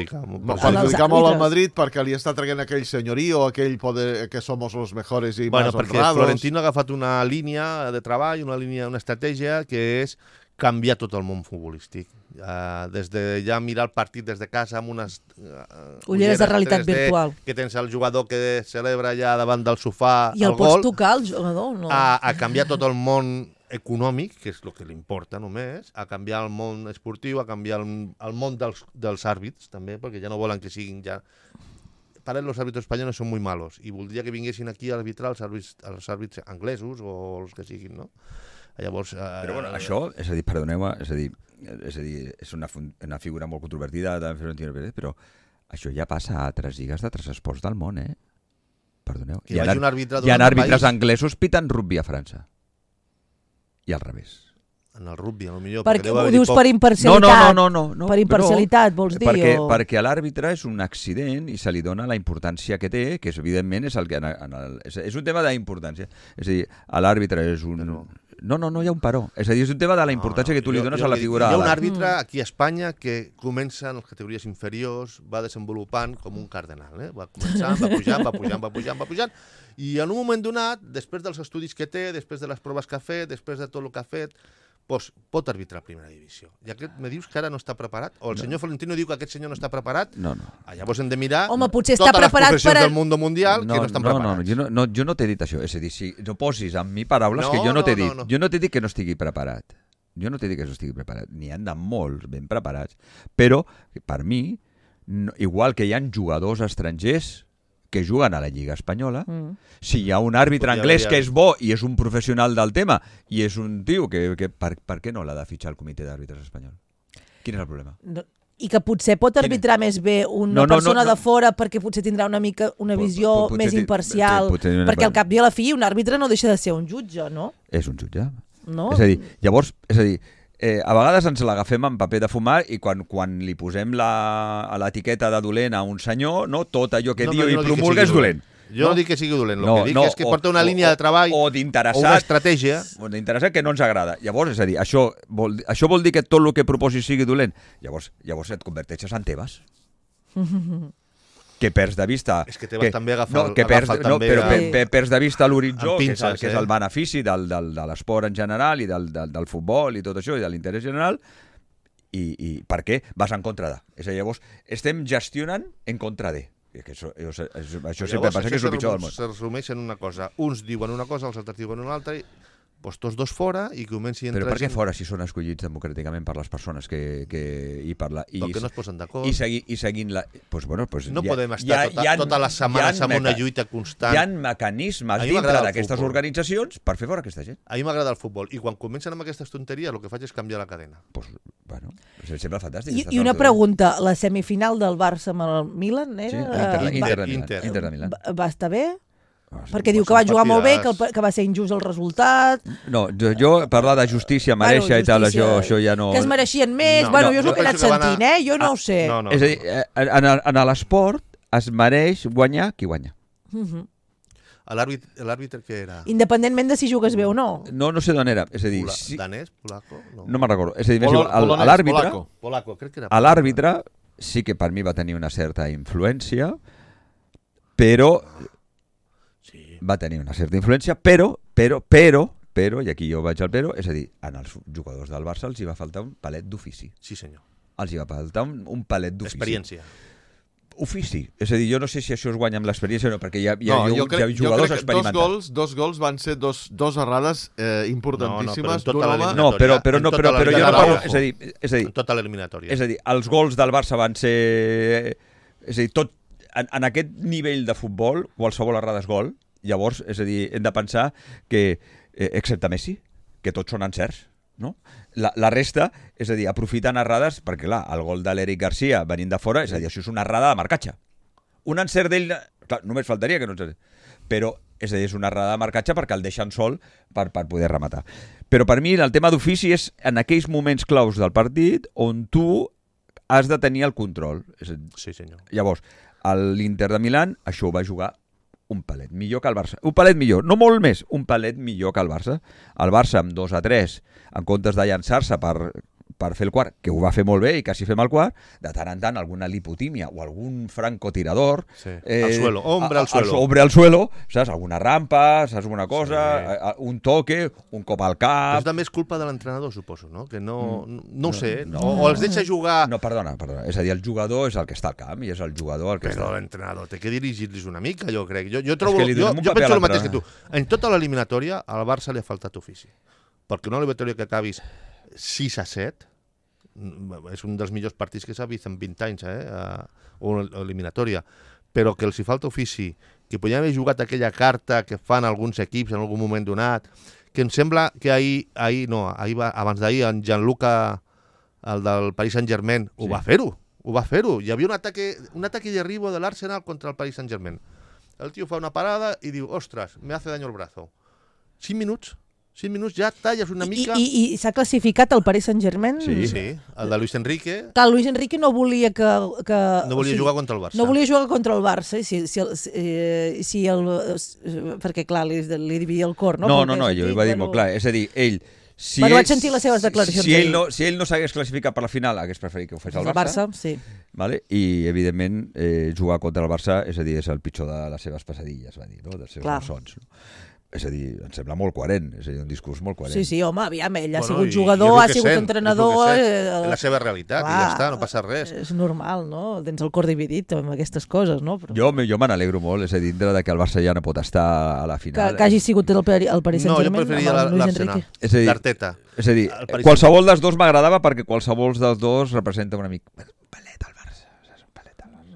Perjudicar molt al Madrid perquè li està traient aquell senyorío, aquell poder que somos los mejores i más honrados. Perquè Florentino ha agafat una línia de treball, una estratègia que és canviar tot el món futbolístic. Des de ja mirar el partit des de casa amb unes ulleres de realitat 3D, virtual. Que tens el jugador que celebra allà davant del sofà i el pots tocar, el jugador? No. A canviar tot el món econòmic, que és el que li importa només, a canviar el món esportiu, a canviar el món dels àrbits, també, perquè ja no volen que siguin ja... Para los árbitros españoles son muy malos y voldria que vinguessin aquí a arbitrar els àrbits anglesos o els que siguin, no? Llavors, però bueno, això, és a dir, perdoneu-me, és una figura molt controvertida de Florentino Pérez, però això ja passa a altres lligues d'altres esports del món, Perdoneu. Hi ha àrbitres anglesos piten rugby a França. I al revés. En el rugby, potser... Perquè ho dius per imparcialitat? No. Per imparcialitat, vols dir? Perquè l'àrbitre és un accident i se li dona la importància que té, que evidentment és el que... És un tema d'importància. És a dir, l'àrbitre és un... No hi ha un però. És a dir, és un tema de la importància que tu li dones a la figura... Hi ha un àrbitre aquí a Espanya que comença en les categories inferiors, va desenvolupant com un cardenal. Va començant, va pujant, i en un moment donat, després dels estudis que té, després de les proves que ha fet, després de tot el que ha fet, doncs pot arbitrar a primera divisió. I aquest me dius que ara no està preparat? O el senyor Florentino diu que aquest senyor no està preparat? No. Llavors hem de mirar potser totes està les preparat professions del món mundial que no estan preparats. Jo no t'he dit això. És a dir, si no posis en mi paraules que jo no t'he dit. Jo no t'he dit que no estigui preparat. Jo no t'he dit que no estigui preparat. N'hi han de molts ben preparats. Però, per mi, igual que hi ha jugadors estrangers que juguen a la Lliga Espanyola, si hi ha un àrbitre anglès que és bo i és un professional del tema i és un tio que per què no l'ha de fitxar el comitè d'àrbitres espanyol? Quin és el problema? I que potser pot arbitrar més bé una persona de fora perquè potser tindrà una visió més imparcial, perquè al cap i a la fi un àrbitre no deixa de ser un jutge, no? És un jutge. És a dir, llavors, a vegades ens l'agafem en paper de fumar i quan li posem l'etiqueta de dolent a un senyor, tot allò que diu i promulga és dolent. Jo no dic que sigui dolent, el que dic és que porta una línia de treball o una estratègia que no ens agrada. Llavors, és a dir, això vol dir que tot el que proposis sigui dolent. Llavors et converteixes en Tebas. Que perds de vista... És que Tebas també agafa perds de vista l'horitzó, que és el benefici de l'esport en general i del futbol i tot això, i de l'interès general, i per què vas en contra de. És a dir, llavors, estem gestionant en contra de. Això sempre passa que és el pitjor del món. Se resumeix en una cosa. Uns diuen una cosa, els altres diuen una altra, doncs tots dos fora i comenci a entrar... Però per què fora si són escollits democràticament per les persones i per la... Perquè no es posen d'acord. I seguint la... No podem estar totes les setmanes amb una lluita constant. Hi ha mecanismes dintre d'aquestes organitzacions per fer fora aquesta gent. A mi m'agrada el futbol i quan comencen amb aquestes tonteries el que faig és canviar la cadena. Sembla fantàstic. I una pregunta, la semifinal del Barça amb el Milan era... Inter de Milan. Va estar bé? Perquè diu que va jugar molt bé, que va ser injust el resultat... No, jo parlar de justícia, mereixer i tal, això ja no... Que es mereixien més, jo és el que he anat sentint, jo no ho sé. És a dir, en l'esport es mereix guanyar qui guanya. L'àrbitre què era? Independentment de si jugues bé o no. No sé d'on era, és a dir... Danès? Polaco? No me'n recordo. És a dir, l'àrbitre sí que per mi va tenir una certa influència, però... va tenir una certa influència, però, i aquí jo vaig al però, és a dir, als jugadors del Barça els hi va faltar un palet d'ofici. Sí, senyor. Els hi va faltar un palet d'ofici. Experiència. Ofici. És a dir, jo no sé si això es guanya amb l'experiència o no, perquè hi ha jugadors experimentats. Jo crec que dos gols van ser dos errades importantíssimes d'un home... No, però jo no parlo... És a dir... En tota l'eliminatòria. És a dir, els gols del Barça van ser... És a dir, tot... En aquest nivell de futbol, qualsevol errada és gol. Llavors, és a dir, hem de pensar que, excepte Messi, que tots són encerts, no? La resta, és a dir, aprofiten errades, perquè clar, el gol de l'Eric Garcia venint de fora, és a dir, això és una errada de marcatge. Un encert d'ell, clar, només faltaria que no encert. Però, és a dir, és una errada de marcatge perquè el deixen sol per poder rematar. Però per mi el tema d'ofici és en aquells moments claus del partit on tu has de tenir el control. Sí, senyor. Llavors, l'Inter de Milán, això ho va jugar un palet millor que el Barça. Un palet millor, no molt més, un palet millor que el Barça. El Barça amb 2-3, en comptes de llançar-se per fer el quart, que ho va fer molt bé i quasi fem el quart, de tant en tant alguna lipotímia o algun francotirador... Sí. Al suelo, hombre al suelo. Hombre al suelo, saps? Alguna rampa, saps? Alguna cosa, un toque, un cop al cap... Però també és culpa de l'entrenador, suposo, no? Que no ho sé, o els deixa jugar... No, perdona. És a dir, el jugador és el que està al camp i és el jugador el que Però l'entrenador té que dirigir-los una mica, jo crec. Jo penso el mateix que tu. En tota l'eliminatòria, al Barça li ha faltat ofici. Perquè una eliminatòria que acabis 6-7 és un dels millors partits que s'ha vist en 20 anys, una eliminatòria, però que els hi falta ofici, que podien haver jugat aquella carta que fan alguns equips en algun moment donat, que em sembla que abans d'ahir, en Gianluca, el del Paris Saint-Germain, ho va fer-ho. Hi havia un ataque de derribo de l'Arsenal contra el Paris Saint-Germain. El tio fa una parada i diu, ostres, me hace daño el brazo. 5 minuts ja talles una mica... I s'ha classificat el Paris Saint-Germain? Sí, el de Luis Enrique. Clar, Luis Enrique no volia que... No volia jugar contra el Barça. No volia jugar contra el Barça, perquè clar, li dividia el cor, no? No, ell ho va dir molt clar. És a dir, ell... vaig sentir les seves declaracions. Si ell no s'hagués classificat per la final, hagués preferit que ho fes el Barça. Sí. Vale? I, evidentment, jugar contra el Barça és a dir, és el pitjor de les seves pesadilles, va dir, no? Dels seus malsons. No? És a dir, em sembla molt coherent, és a dir, un discurs molt coherent. Sí, home, aviam, ell ha sigut jugador, ha sigut entrenador... És la seva realitat, i ja està, no passa res. És normal, no? Tens el cor dividit amb aquestes coses, no? Jo me n'alegro molt, és a dir, dintre que el Barça ja no pot estar a la final. Que hagi sigut el Paris Saint-Germain. No, jo preferiria l'Arsenal, l'Arteta. És a dir, qualsevol dels dos m'agradava perquè qualsevol dels dos representa una mica...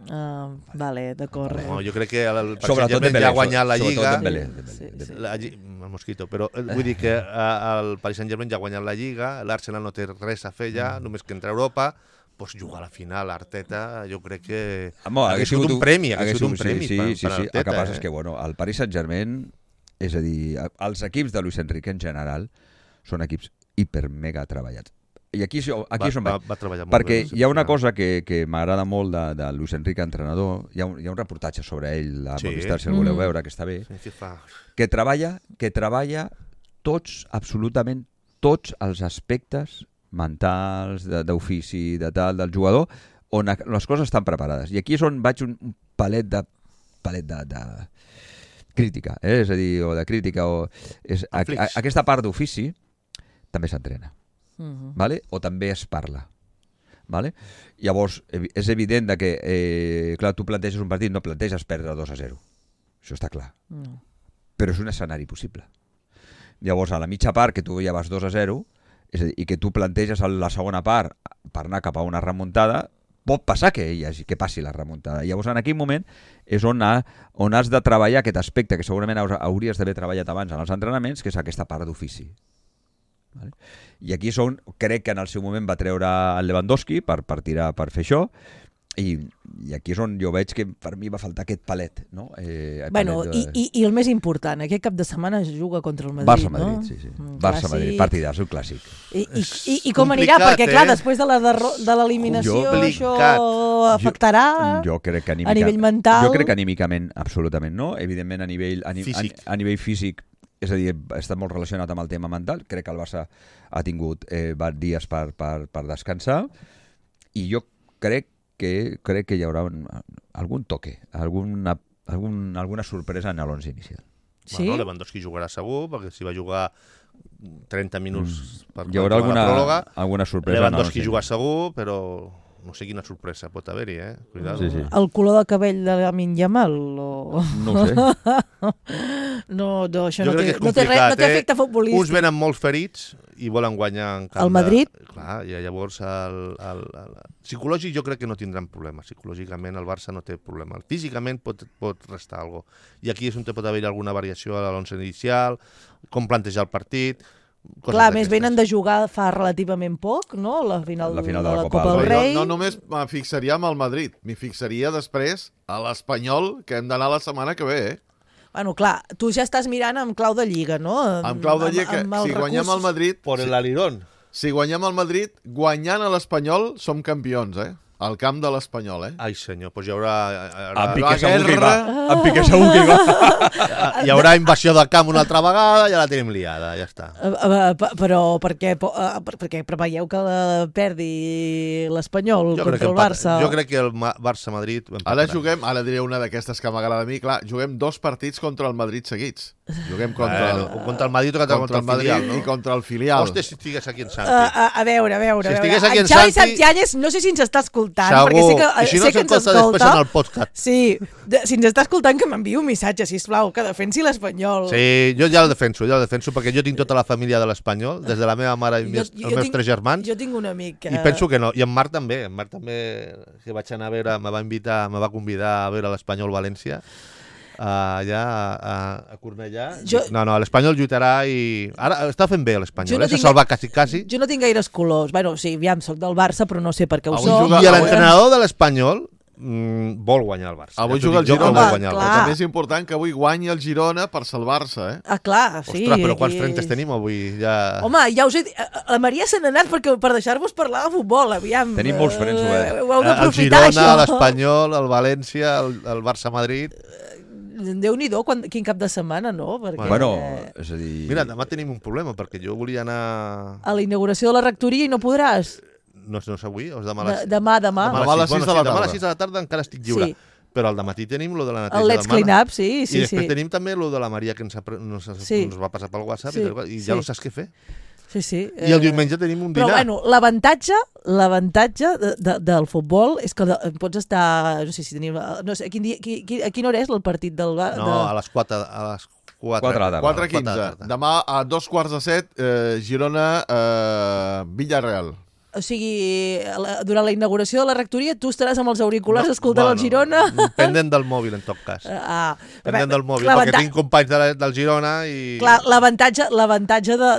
Vale, d'acord. No, jo crec que el Paris Saint-Germain ja ha guanyat la Lliga. El Mosquito, però vull dir que el Paris Saint-Germain ja ha guanyat la Lliga, l'Arsenal no té res a fer ja, només que entrar a Europa, doncs jugar a la final, Arteta, jo crec que hagués sigut un premi, Sí, el que passa és que el Paris Saint-Germain, és a dir, els equips de Luis Enrique en general són equips hiper-mega treballats. I aquí és on va treballar molt perquè bé, hi ha una cosa que m'agrada molt de Luis Enrique, entrenador, hi ha un reportatge sobre ell a Movistar, si el voleu veure, que està bé, que treballa tots, absolutament tots els aspectes mentals, d'ofici, de tal, del jugador, on les coses estan preparades. I aquí és on vaig un palet de crítica, és a dir, o de crítica, aquesta part d'ofici també s'entrena. Vale? O també es parla. Vale? Llavors, és evident que clar, tu planteges un partit, no planteges perdre 2-0. Això està clar. Però és un escenari possible. Llavors, a la mitja part, que tu ja vas 2-0, és a dir, i que tu planteges la segona part per anar cap a una remuntada, pot passar que passi la remuntada. Llavors, en aquell moment és on has de treballar aquest aspecte que segurament hauries d'haver treballat abans en els entrenaments, que és aquesta part d'ofici. Vale? I aquí crec que en el seu moment va treure el Lewandowski per fer això, i aquí és on jo veig que per mi va faltar aquest palet, no? I el més important, aquest cap de setmana es juga contra el Madrid, Barça-Madrid, no? Sí. Barça-Madrid, partidàs, un clàssic. I com anirà? Perquè clar, després de l'eliminació això afectarà a nivell mental. Jo crec que anímicament absolutament no, evidentment a nivell físic, és a dir, està molt relacionat amb el tema mental. Crec que el Barça ha tingut dies per descansar, i jo crec que hi haurà algun toque, alguna sorpresa en l'11 inicial. Sí? Bueno, Lewandowski jugarà segur, perquè si va jugar 30 minuts per hi haurà la pròrroga. Alguna sorpresa. Lewandowski juga segur, però no sé quina sorpresa pot haver-hi, Cuidado. Sí. El color de cabell de Lamine Yamal? O... No ho sé. No, això jo no té efecte futbolístic. Uns venen molt ferits i volen guanyar en camp el Madrid? Clar, i llavors psicològic jo crec que no tindran problema. Psicològicament el Barça no té problema. Físicament pot restar alguna cosa. I aquí és on pot haver alguna variació a l'11 inicial, com plantejar el partit. Clar, més venen de jugar fa relativament poc, no? La final de la Copa del Rei. Jo no només me fixaria amb el Madrid, m'hi fixaria després a l'Espanyol, que hem d'anar la setmana que ve, Bueno, clar, tu ja estàs mirant amb clau de Lliga, no? Amb clau de Lliga, si guanyem el Madrid... Por el alirón. Si guanyem el Madrid, guanyant a l'Espanyol, som campions, Al camp de l'Espanyol, Ai, senyor, doncs hi haurà... En Piqué segur que hi va. En Piqué segur que hi va. Hi haurà invasió del camp una altra vegada, ja la tenim liada, ja està. Però perquè preveieu que perdi l'Espanyol contra el Barça? Jo crec que el Barça-Madrid... Ara diré una d'aquestes que m'agrada a mi, clar, juguem 2 partits contra el Madrid seguits. Juguem contra el Madrid o contra el filial, no? I contra el filial. Hòstia, si estigués aquí en Santi. A veure. Si estigués aquí en Xavi Santi... Santillanyes, no sé si ens està escoltant, segur. perquè I si no sé que ens escolta després en el podcast. Sí, si ens està escoltant, que m'enviï un missatge, sisplau, que defensi l'Espanyol. Sí, jo ja el defenso, perquè jo tinc tota la família de l'Espanyol, des de la meva mare i els meus 3 germans. Jo tinc un amic que... I penso que no, i en Marc també, que vaig anar a veure, me va convidar a veure l'Espanyol València, allà a Cornellà. No, l'Espanyol lluitarà i... Ara està fent bé l'Espanyol, s'ha salvat quasi. Jo no tinc gaires colors. Bueno, sí, aviam, soc del Barça, però no sé per què ho soc. I l'entrenador de l'Espanyol vol guanyar el Barça. Avui juga el Girona, però també és important que avui guanyi el Girona per salvar-se, Ah, clar, sí. Ostres, però quants frentes tenim avui? Home, ja us he dit, la Maria se n'ha anat per deixar-vos parlar de futbol, aviam. Tenim molts frens oberts. Ho heu d'aprofitar, això. El Girona, l'Espanyol, el València, el Barça-Madrid... Déu-n'hi-do, quin cap de setmana, no? Perquè... Bueno, és a dir... Mira, demà tenim un problema, perquè jo volia anar... A la inauguració de la rectoria i no podràs? No és avui, o és demà a les... Demà. Demà a les 6 de la tarda. Demà a les 6 de la tarda encara estic lliure. Sí. Però al dematí tenim lo de la neteja El Let's Clean Up, sí. I després tenim també lo de la Maria que ens va passar pel WhatsApp i ja no saps què fer. Sí. I el diumenge tenim un dinar. Però, bueno, l'avantatge del futbol és que pots estar... No sé si tenim... No sé, a quina hora és el partit del... No, a les 4 4:15. Demà a 6:45, Girona, Villarreal. O sigui, durant la inauguració de la rectoria tu estaràs amb els auriculars escoltant el Girona? Pendent del mòbil, en tot cas. Pendent del mòbil, perquè tinc companys del Girona i... Clar, l'avantatge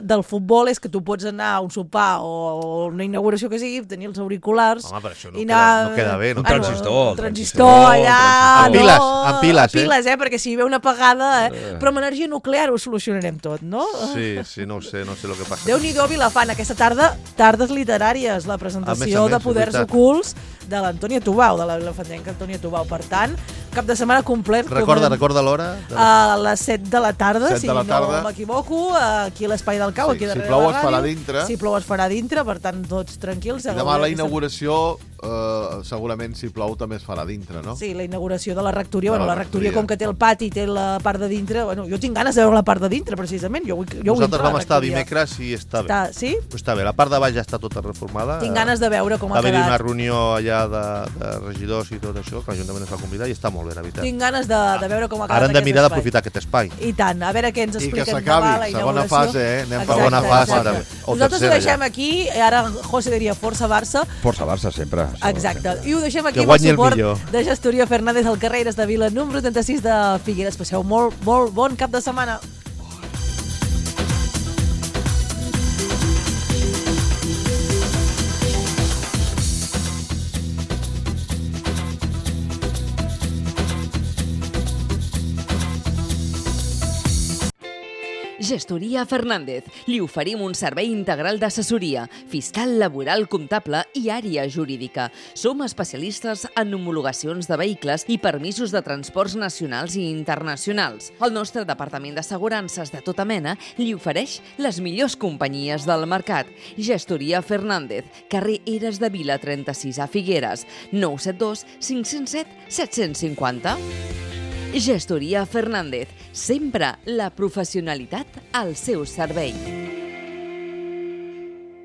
del futbol és que tu pots anar a un sopar o una inauguració que sigui, tenir els auriculars... Home, però això no queda bé. Un transistor. Un transistor allà... Amb piles, perquè si hi ve una apagada... Però amb energia nuclear ho solucionarem tot, no? Sí, no ho sé el que passa. Déu-n'hi-do, Vilafant, aquesta tarda, tardes literàries, la presentació de Poders Ocults de l'Antònia Tubau, de la vilafantenca Antònia Tubau. Per tant, cap de setmana complet. Recorda l'hora? A les 7 de la tarda, si no m'equivoco, aquí a l'Espai del Cau, aquí darrere de la ràdio. Si plou es farà dintre. Si plou es farà dintre, per tant, tots tranquils. I demà la inauguració, segurament si plou també es farà dintre, no? Sí, la inauguració de la rectoria. Bueno, la rectoria, com que té el pati i té la part de dintre, bueno, jo tinc ganes de veure la part de dintre, precisament. Nosaltres vam estar dimecres i està bé. Sí? Està bé, la part de baix ja està tota reformada. Tinc ganes de veure com ha quedat. Va haver-hi una reunió allà de regidors i tot això, que l'Ajuntament ens va convidar i està molt bé, la veritat. Tinc ganes de veure com ha quedat. Ara hem de mirar d'aprofitar aquest espai. I tant, a veure què ens expliquen. I que s'acabi, segona fase, Anem per segona fase. Nosaltres ho deixem aquí, ara José diria Força Barça. Força Barça, sempre. Exacte. I ho deixem aquí amb el suport de Gestoria Fernández al carrer de Vila, número 36 de Figueres. Passeu molt bon cap de setmana. Gestoria Fernández. Li oferim un servei integral d'assessoria, fiscal, laboral, comptable i àrea jurídica. Som especialistes en homologacions de vehicles i permisos de transports nacionals i internacionals. El nostre departament d'assegurances de tota mena li ofereix les millors companyies del mercat. Gestoria Fernández, carrer Eres de Vila 36 a Figueres, 972 507 750. Gestoria Fernández, sempre la professionalitat al seu servei.